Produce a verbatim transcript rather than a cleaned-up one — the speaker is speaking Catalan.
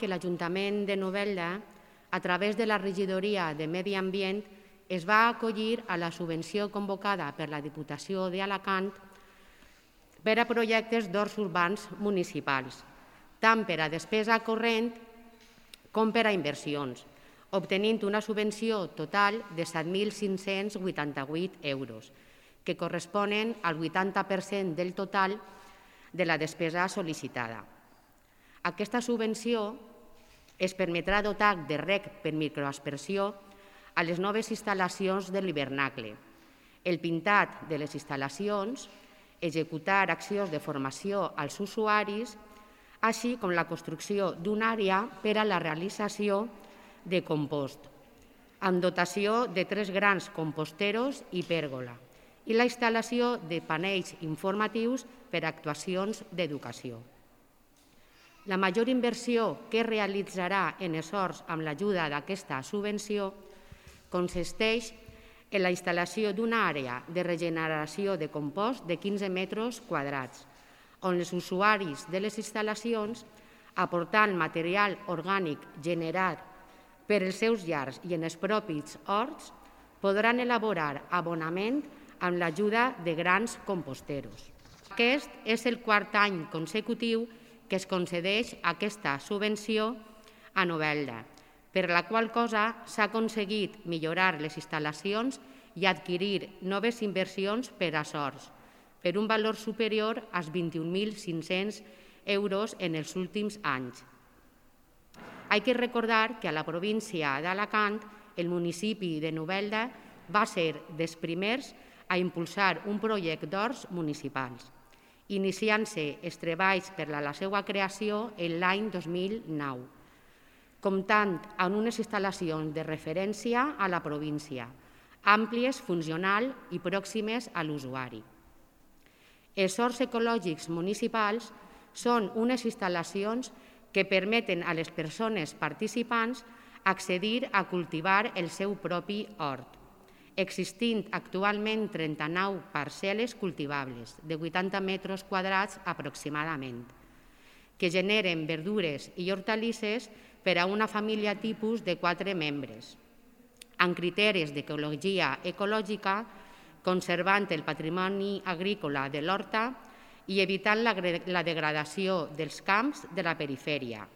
que l'Ajuntament de Novelda, a través de la Regidoria de Medi Ambient, es va acollir a la subvenció convocada per la Diputació d'Alacant per a projectes d'horts urbans municipals, tant per a despesa corrent com per a inversions, obtenint una subvenció total de set mil cinc-cents vuitanta-vuit euros, que corresponen al vuitanta per cent del total de la despesa sol·licitada. Aquesta subvenció es permetrà dotar de rec per microaspersió a les noves instal·lacions de l'hivernacle, el pintat de les instal·lacions, executar accions de formació als usuaris, així com la construcció d'una àrea per a la realització de compost, amb dotació de tres grans composteros i pèrgola, i la instal·lació de panells informatius per a actuacions d'educació. La major inversió que es realitzarà en els horts amb l'ajuda d'aquesta subvenció consisteix en la instal·lació d'una àrea de regeneració de compost de quinze metres quadrats, on els usuaris de les instal·lacions, aportant material orgànic generat per els seus llars i en els propis horts, podran elaborar abonament amb l'ajuda de grans composteros. Aquest és el quart any consecutiu que es concedeix aquesta subvenció a Novelda, per la qual cosa s'ha aconseguit millorar les instal·lacions i adquirir noves inversions per a horts, per un valor superior als vint-i-un mil cinc-cents euros en els últims anys. Hay que recordar que a la província d'Alacant el municipi de Novelda va ser dels primers a impulsar un projecte d'horts municipals, iniciant-se els treballs per a la seva creació l'any dos mil nou, comptant amb unes instal·lacions de referència a la província, àmplies, funcionals i pròximes a l'usuari. Els horts ecològics municipals són unes instal·lacions que permeten a les persones participants accedir a cultivar el seu propi hort, existint actualment trenta-nou parcel·les cultivables de vuitanta metres quadrats aproximadament, que generen verdures i hortalisses per a una família tipus de quatre membres, amb criteris d'ecologia ecològica, conservant el patrimoni agrícola de l'horta i evitant la degradació dels camps de la perifèria,